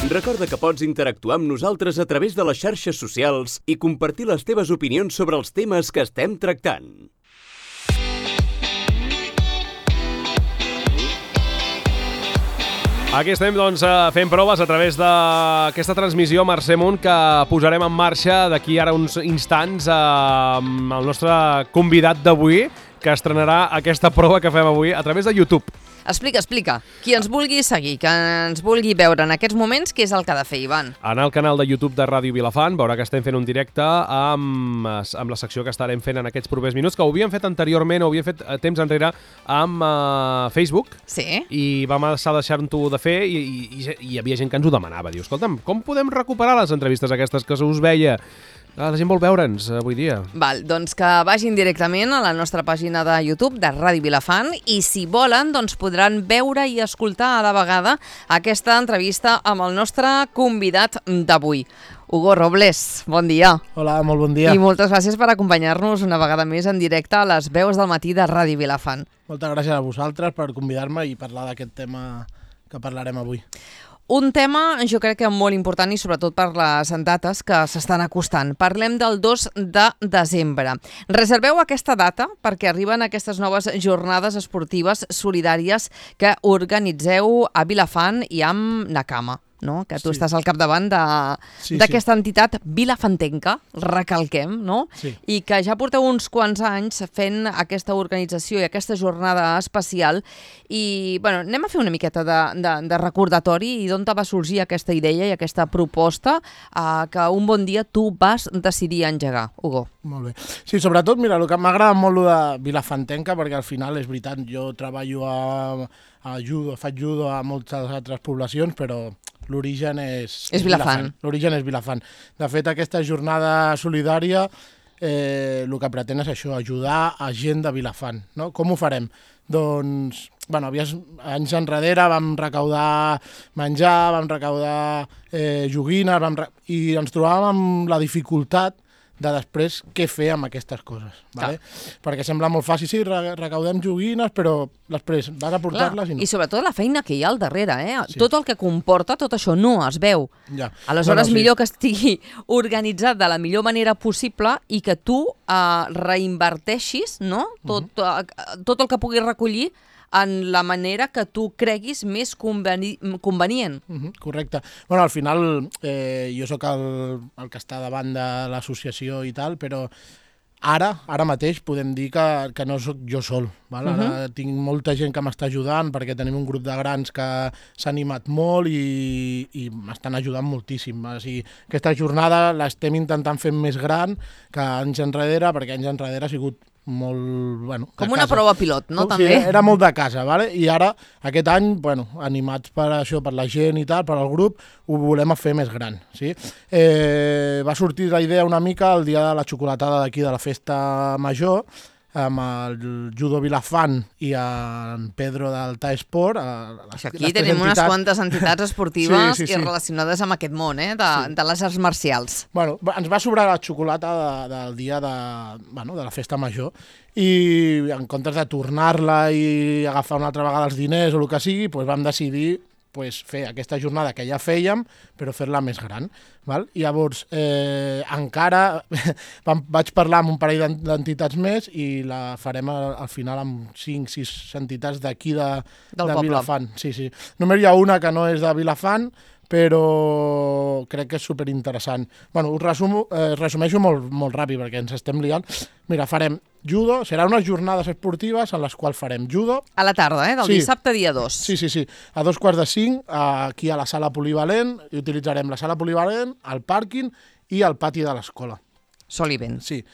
Recorda que pots interactuar amb nosaltres a través de les xarxes socials i compartir les teves opinions sobre els temes que estem tractant. Aquí estem, doncs, fent proves a través d'aquesta transmissió Mercè Munt que posarem en marxa d'aquí ara uns instants amb el nostre convidat d'avui, que estrenarà aquesta prova que fem avui a través de YouTube. Explica. Qui ens vulgui seguir, que ens vulgui veure en aquests moments, què és el que ha de fer, Ivan? Anar al canal de YouTube de Ràdio Vilafant, veurà que estem fent un directe amb la secció que estarem fent en aquests propers minuts, que ho havíem fet anteriorment, ho havíem fet temps enrere amb Facebook. Sí. I vam deixar-ho de fer i hi havia gent que ens ho demanava. Diu, escolta'm, com podem recuperar les entrevistes aquestes que us veia? La gent vol veure'ns avui dia. Val, doncs que vagin directament a la nostra pàgina de YouTube de Ràdio Vilafant i si volen doncs podran veure i escoltar a la vegada aquesta entrevista amb el nostre convidat d'avui. Hugo Robles, bon dia. Hola, molt bon dia. I moltes gràcies per acompanyar-nos una vegada més en directe a les veus del matí de Ràdio Vilafant. Moltes gràcies a vosaltres per convidar-me i parlar d'aquest tema que parlarem avui. Un tema, jo crec que molt important i sobretot per les dates que s'estan acostant. Parlem del 2 de desembre. Reserveu aquesta data perquè arriben aquestes noves jornades esportives solidàries que organitzeu a Vilafant i amb Nakama, no? Que tu estàs al capdavant d'aquesta entitat vilafantenca, recalquem, no? Sí. I que ja porteu uns quants anys fent aquesta organització i aquesta jornada especial i, bueno, anem a fer una miqueta de recordatori i d'on te va sorgir aquesta idea i aquesta proposta que un bon dia tu vas decidir engegar, Hugo. Molt bé. Sí, sobretot, mira, el que m'agrada molt de vilafantenca, perquè al final és veritat, jo treballo a judo, faig judo a moltes altres poblacions, però l'origen és Vilafant. L'origen és Vilafant. De fet, aquesta jornada solidària el que pretén és això, ajudar a gent de Vilafant. No? Com ho farem? Doncs, bueno, anys enrere vam recaudar menjar, vam recaudar joguines, i ens trobàvem amb la dificultat de després què fer amb aquestes coses. Vale? Perquè sembla molt fàcil, sí, recaudem joguines, però després vas a portar-les i no. I sobretot la feina que hi ha al darrere, Sí. Tot el que comporta, tot això no es veu. Ja. Aleshores, millor que estigui organitzat de la millor manera possible i que tu reinverteixis, no? Tot el que puguis recollir en la manera que tu creguis més convenient. Correcte. Bueno, al final jo sóc el que està davant de l'associació i tal, però ara mateix podem dir que no sóc jo sol. Val? Ara tinc molta gent que m'està ajudant perquè tenim un grup de grans que s'ha animat molt i m'estan ajudant moltíssim. O sigui, aquesta jornada l'estem intentant fer més gran que anys enrere, perquè anys enrere ha sigut molt... Bueno, com una prova pilot, no? Sí, també. era molt de casa, ¿vale? I ara, aquest any, bueno, animats per això, per la gent i tal, per al grup, ho volem fer més gran, sí? Va sortir la idea una mica el dia de la xocolatada d'aquí, de la festa major, amb el Judo Vilafant i en Pedro del TAE Esport. Aquí tenim unes quantes entitats esportives i relacionades amb aquest món, de les arts marcials. Bueno, ens va sobrar la xocolata del dia de la festa major i en comptes de tornar-la i agafar una altra vegada els diners o el que sigui, vam decidir fer aquesta jornada que ja fèiem, però fer-la més gran. Val? Llavors, encara vaig parlar amb un parell d'entitats més i la farem al final amb 5-6 entitats d'aquí de Vilafant. Sí. Només hi ha una que no és de Vilafant, però crec que és superinteressant. Bueno, us resumeixo molt ràpid perquè ens estem liant. Mira, farem judo, serà unes jornades esportives en les quals farem judo. A la tarda, del dissabte dia 2. Sí. A 4:45, aquí a la sala polivalent, i utilitzarem la sala polivalent, el pàrquing i el pati de l'escola. Sol i vent. Sí.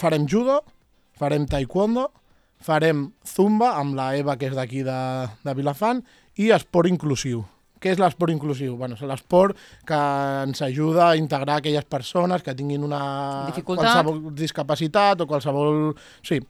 Farem judo, farem taekwondo, farem zumba amb la Eva, que és d'aquí de Vilafant, i esport inclusiu. Què és l'esport inclusiu? Bueno, és l'esport que ens ajuda a integrar aquelles persones que tinguin una qualsevol discapacitat o qualsevol... Sí,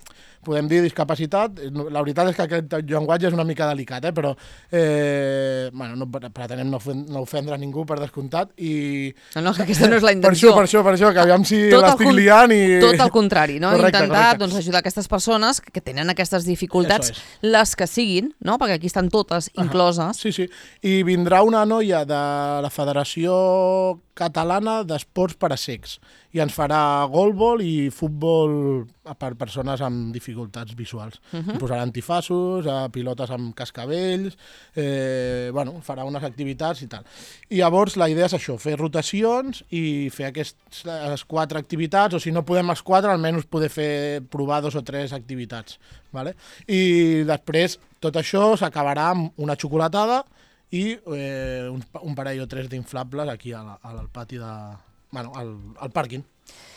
podem dir discapacitat. La veritat és que aquest llenguatge és una mica delicat, però bueno, no pretenem no ofendre ningú, per descomptat. No, que aquesta no és la intenció. Per això, que aviam si l'estic liant i... Tot el contrari, no? Correcte, intentar correcte. Doncs, ajudar aquestes persones que tenen aquestes dificultats, les que siguin, no? Perquè aquí estan totes incloses. Sí. I vindrà una noia de la Federació Catalana d'Esports per a Cecs i ens farà golbol i futbol per persones amb dificultats visuals. Posarà antifaços, pilotes amb cascavells, farà unes activitats i tal. I llavors la idea és això, fer rotacions i fer aquestes 4 activitats, o si no podem els 4, almenys poder provar 2 o 3 activitats. Vale? I després tot això s'acabarà amb una xocolatada i un parell o 3 d'inflables aquí al pati al pàrquing.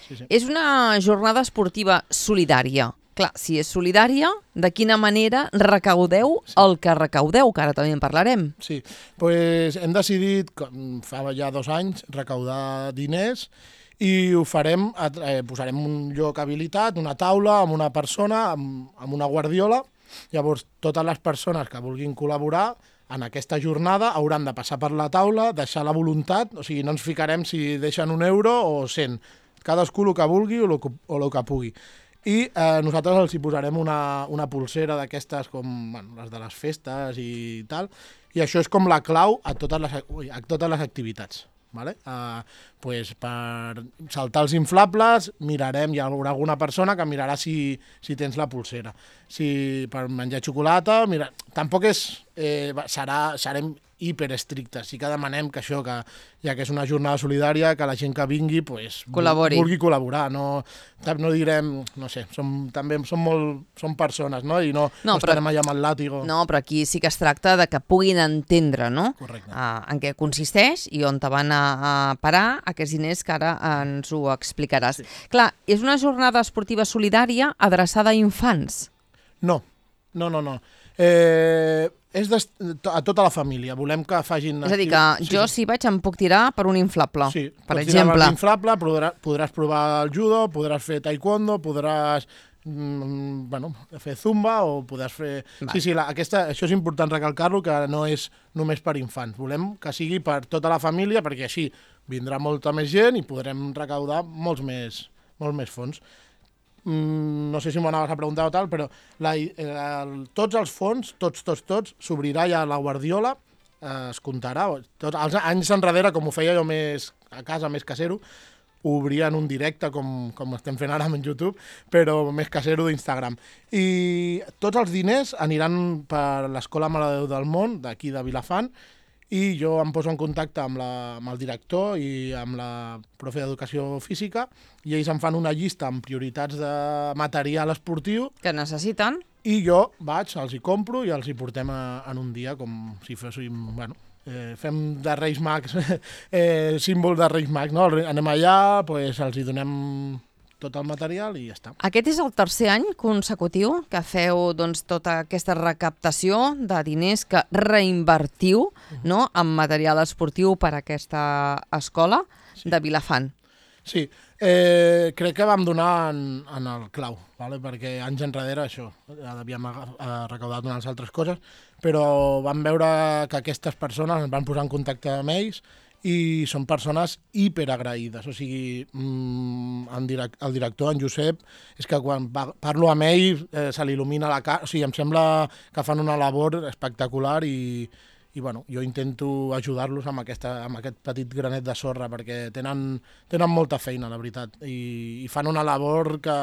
Sí. És una jornada esportiva solidària. Clar, si és solidària, de quina manera recaudeu el que recaudeu, que ara també en parlarem? Sí, doncs hem decidit, fa ja 2 anys, recaudar diners i ho farem, posarem un lloc habilitat, una taula amb una persona, amb una guardiola. Llavors, totes les persones que vulguin col·laborar en aquesta jornada hauran de passar per la taula, deixar la voluntat, o sigui, no ens ficarem si deixen 1 euro o 100, cadascú el que vulgui o el que pugui. I nosaltres els hi posarem una pulsera d'aquestes com les de les festes i tal, i això és com la clau a totes les activitats. Vale? Pues per saltar els inflables mirarem, hi haurà alguna persona que mirarà si tens la pulsera. Si per menjar xocolata, tampoc serem hiperestrictes. Sí que demanem que això, ja que és una jornada solidària, que la gent que vingui vulgui col·laborar. No direm, no sé, som persones, no? I no estarem allà amb el làtigo. No, però aquí sí que es tracta de que puguin entendre, no? Correcte. En què consisteix i on te van a parar aquests diners que ara ens ho explicaràs. Sí. Clar, és una jornada esportiva solidària adreçada a infants. No. És a tota la família. Volem que facin... És a dir, que jo si vaig em puc tirar per un inflable, per exemple. Per exemple. Per un inflable podràs provar el judo, podràs fer taekwondo, podràs fer zumba o podràs fer... Sí, això és important recalcar-lo, que no és només per infants. Volem que sigui per tota la família, perquè així vindrà molta més gent i podrem recaudar molts més fons. No sé si m'ho anaves a preguntar o tal, però tots els fons, tots, s'obrirà ja la guardiola, es comptarà. Els anys enrere, com ho feia jo més a casa, més casero, ho obria en un directe, com estem fent ara en YouTube, però més casero d'Instagram. I tots els diners aniran per l'Escola Mare de Déu del Món, d'aquí de Vilafant, i jo em poso en contacte amb el director i amb la profe d'Educació Física i ells em fan una llista amb prioritats de material esportiu que necessiten i jo els hi compro i els hi portem en un dia com si féssim, fem de Reis Mags, símbol de Reis Mags, no? Anem allà, els hi donem tot el material i ja està. Aquest és el 3è any consecutiu que feu tota aquesta recaptació de diners que reinvertiu en material esportiu per a aquesta escola de Vilafant. Sí, crec que vam donar en el clau, perquè anys enrere això, havíem recaudat unes altres coses, però vam veure que aquestes persones ens van posar en contacte amb ells i són persones hiperagraïdes. O sigui, el director, en Josep, és que quan parlo amb ell se li il·lumina la cara. O sigui, em sembla que fan una labor espectacular i jo intento ajudar-los amb aquest petit granet de sorra perquè tenen molta feina, la veritat, i fan una labor que...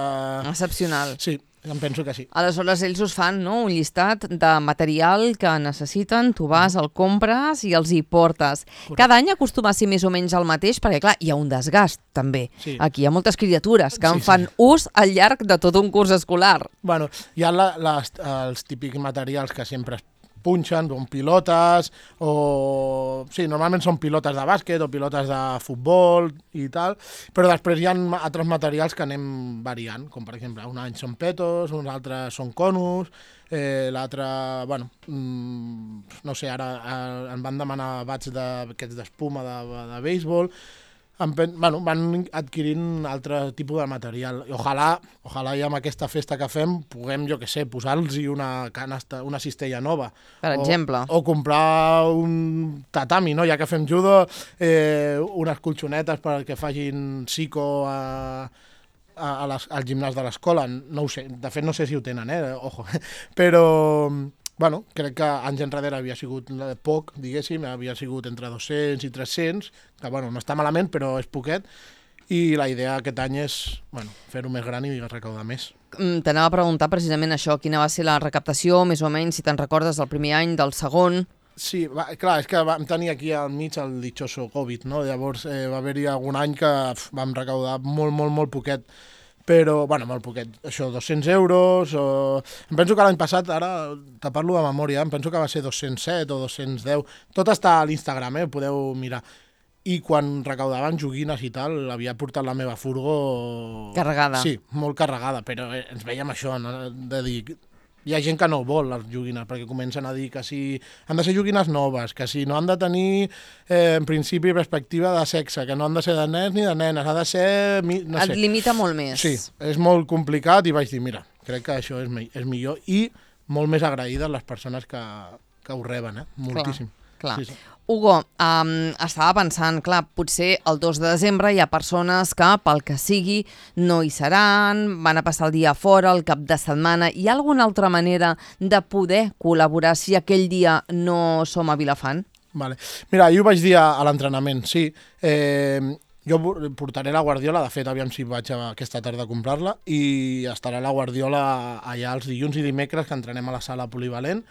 Excepcional. Sí, em penso que sí. Aleshores, ells us fan un llistat de material que necessiten, tu vas, el compres i els hi portes. Correcte. Cada any acostuma a ser més o menys el mateix, perquè clar, hi ha un desgast també. Sí. Aquí hi ha moltes criatures que en fan ús al llarg de tot un curs escolar. Hi ha els típics materials que sempre es punxen, pilotes, o... Sí, normalment són pilotes de bàsquet o pilotes de futbol i tal, però després hi ha altres materials que anem variant, com per exemple, un any són petos, uns altres són conus, l'altre, no sé, ara em van demanar bats d'aquests d'espuma de béisbol. van adquirint altre tipus de material. I ojalà ja amb aquesta festa que fem puguem, jo què sé, posar-los una cistella nova. Per exemple. O comprar un tatami, no? Ja que fem judo, unes colxonetes perquè facin psico al gimnàs de l'escola. No ho sé, de fet no sé si ho tenen, ojo. Però... Bueno, crec que anys enrere havia sigut poc, diguéssim, havia sigut entre 200 i 300, que bueno, no està malament, però és poquet, i la idea aquest any és fer-ho més gran i recaudar més. T'anava a preguntar precisament això, quina va ser la recaptació, més o menys, si te'n recordes del primer any, del segon... Sí, clar, és que vam tenir aquí al mig el ditxoso Covid, no? Llavors va haver-hi algun any que vam recaudar molt poquet, però, molt poquet, això, 200 euros, em penso que l'any passat, ara te parlo de memòria, em penso que va ser 207 o 210, tot està a l'Instagram, podeu mirar. I quan recaudaven joguines i tal, havia portat la meva furgo... Carregada. Sí, molt carregada, però ens veiem això, no? De dir... Hi ha gent que no vol les joguines, perquè comencen a dir que si han de ser joguines noves, que si no han de tenir, en principi, perspectiva de sexe, que no han de ser de nens ni de nenes, ha de ser... No sé. Et limita molt més. Sí, és molt complicat i vaig dir, mira, crec que això és millor i molt més agraïdes les persones que ho reben, moltíssim. Clar. Sí. Hugo, estava pensant, clar, potser el 2 de desembre hi ha persones que, pel que sigui, no hi seran, van a passar el dia fora, el cap de setmana. Hi ha alguna altra manera de poder col·laborar si aquell dia no som a Vilafant? Vale. Mira, jo ho vaig dir a l'entrenament, sí. Jo portaré la guardiola, de fet, aviam si vaig aquesta tarda a comprar-la, i estarà la guardiola allà els dilluns i dimecres, que entrenem a la sala polivalent,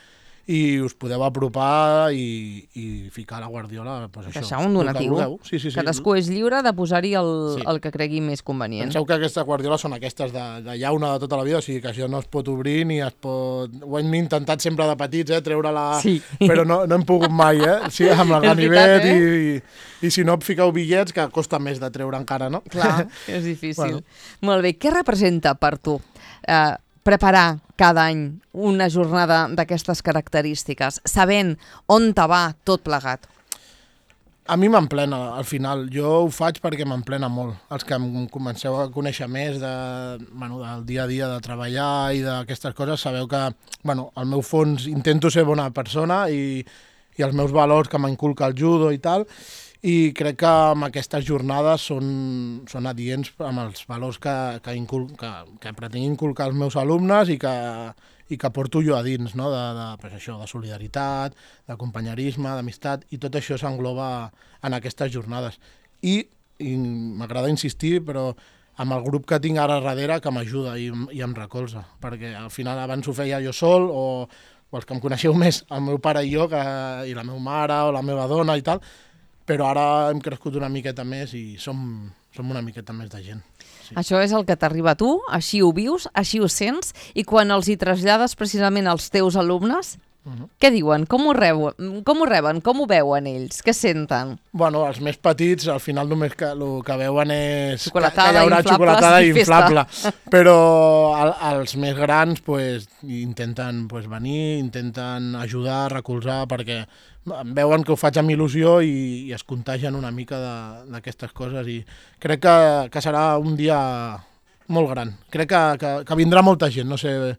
i us podeu apropar i ficar la guardiola, doncs això. Deixar un donatiu. Sí. Cadascú és lliure de posar-hi el que cregui més convenient. Penseu que aquestes guardioles són aquestes de llauna de tota la vida, o sigui que això no es pot obrir ni es pot... Ho hem intentat sempre de petits, treure-la... Sí. Però no hem pogut mai, Sí, amb el ganivet i si no fiqueu bitllets, que costa més de treure encara, no? Clar, és difícil. Molt bé, què representa per tu preparar cada any una jornada d'aquestes característiques, sabent on te va tot plegat? A mi m'emplena, al final. Jo ho faig perquè m'emplena molt. Els que em comenceu a conèixer més del dia a dia de treballar i d'aquestes coses, sabeu que, al meu fons intento ser bona persona i els meus valors que m'inculca el judo i tal, i crec que amb aquestes jornades són adients amb els valors que pretenc inculcar als meus alumnes i que porto jo a dins, no? De solidaritat, de companyerisme, d'amistat, i tot això s'engloba en aquestes jornades. I m'agrada insistir, però amb el grup que tinc ara darrere que m'ajuda i em recolza, perquè al final abans ho feia jo sol o els que em coneixeu més, el meu pare i jo, i la meva mare o la meva dona i tal, però ara hem crescut una miqueta més i som una miqueta més de gent. Sí. Això és el que t'arriba a tu, així ho vius, així ho sents, i quan els hi trasllades precisament als teus alumnes, què diuen? Com ho reben? Com ho veuen ells? Què senten? Bueno, els més petits al final només el que veuen és que hi haurà xocolatada inflable. Però els més grans intenten venir, intenten ajudar, recolzar, perquè veuen que ho faig amb il·lusió i es contagien una mica d'aquestes coses i crec que serà un dia molt gran. Crec que vindrà molta gent, no sé...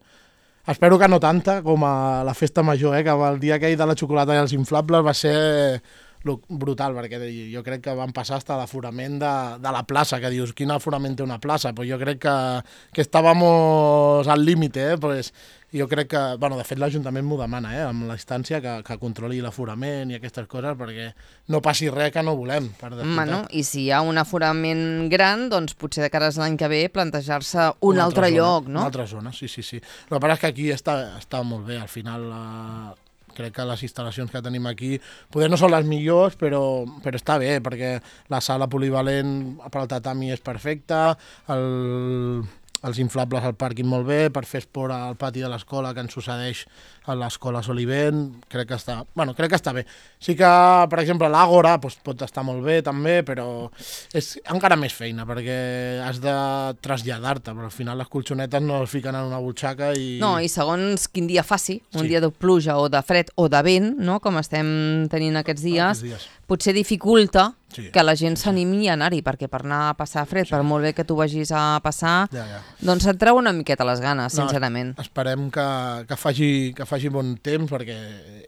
Espero que no tanta com a la festa major, que el dia aquell de la xocolata i els inflables va ser brutal, perquè jo crec que van passar fins a l'aforament de la plaça, que dius, quin aforament té una plaça? Pues jo crec que estàvem al límit, pues jo crec que, de fet l'Ajuntament m'ho demana, amb la instància que controli l'aforament i aquestes coses, perquè no passi res que no volem. I si hi ha un aforament gran, doncs potser de cara a l'any que ve plantejar-se un altre lloc, no? Una altra zona, sí. El que passa és que aquí està molt bé, al final... Crec que les instal·lacions que tenim aquí poder no són les millors, però està bé, perquè la sala polivalent per al tatami és perfecta, els inflables al pàrquing molt bé, per fer esport al pati de l'escola que ens succeeix a l'escola Solivent, crec que està bé. Sí que, per exemple, l'Àgora pot estar molt bé també, però és encara més feina, perquè has de traslladar-te, però al final les colxonetes no es fiquen en una butxaca i... No, i segons quin dia faci, un dia de pluja o de fred o de vent, no? Com estem tenint aquests dies, potser dificulta Sí. que la gent s'animi a anar-hi, perquè per anar a passar fred, per molt bé que tu vagis a passar, doncs et treu una miqueta les ganes, sincerament. Esperem que faci bon temps, perquè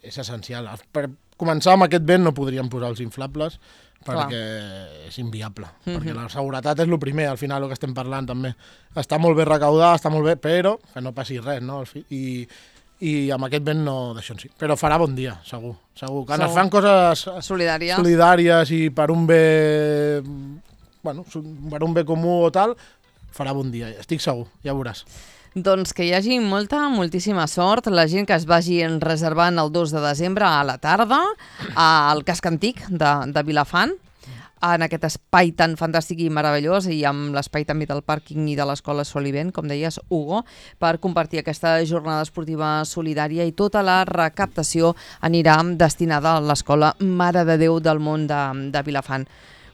és essencial. Per començar amb aquest vent no podríem posar els inflables, perquè és inviable. Perquè la seguretat és el primer, al final, el que estem parlant també. Està molt bé recaudar, està molt bé, però que no passi res, no? I amb aquest vent no d'això en sí. Però farà bon dia, segur. Quan es fan coses solidàries i per un bé per un bé comú o tal, farà bon dia, estic segur, ja veuràs. Doncs que hi hagi moltíssima sort, la gent que es vagi reservant el 2 de desembre a la tarda al casc antic de Vilafant, en aquest espai tan fantàstic i meravellós, i amb l'espai també del pàrquing i de l'escola Solivent, com deies, Hugo, per compartir aquesta jornada esportiva solidària, i tota la recaptació anirà destinada a l'escola Mare de Déu del Món de Vilafant.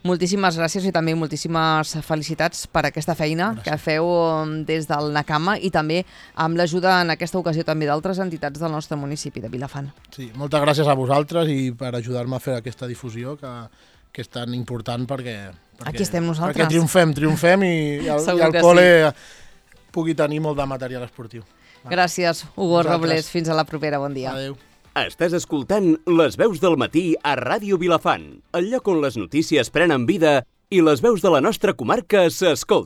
Moltíssimes gràcies i també moltíssimes felicitats per aquesta feina que feu des del NACAMA i també amb l'ajuda en aquesta ocasió també d'altres entitats del nostre municipi de Vilafant. Sí, moltes gràcies a vosaltres i per ajudar-me a fer aquesta difusió que és tan important perquè aquí estem nosaltres. Perquè triomfem i el col·le pugui tenir molt de material esportiu. Gràcies, Hugo Robles. Fins a la propera. Bon dia. Adéu. Estàs escoltant Les Veus del Matí a Ràdio Vilafant, el lloc on les notícies prenen vida i les veus de la nostra comarca s'escolten.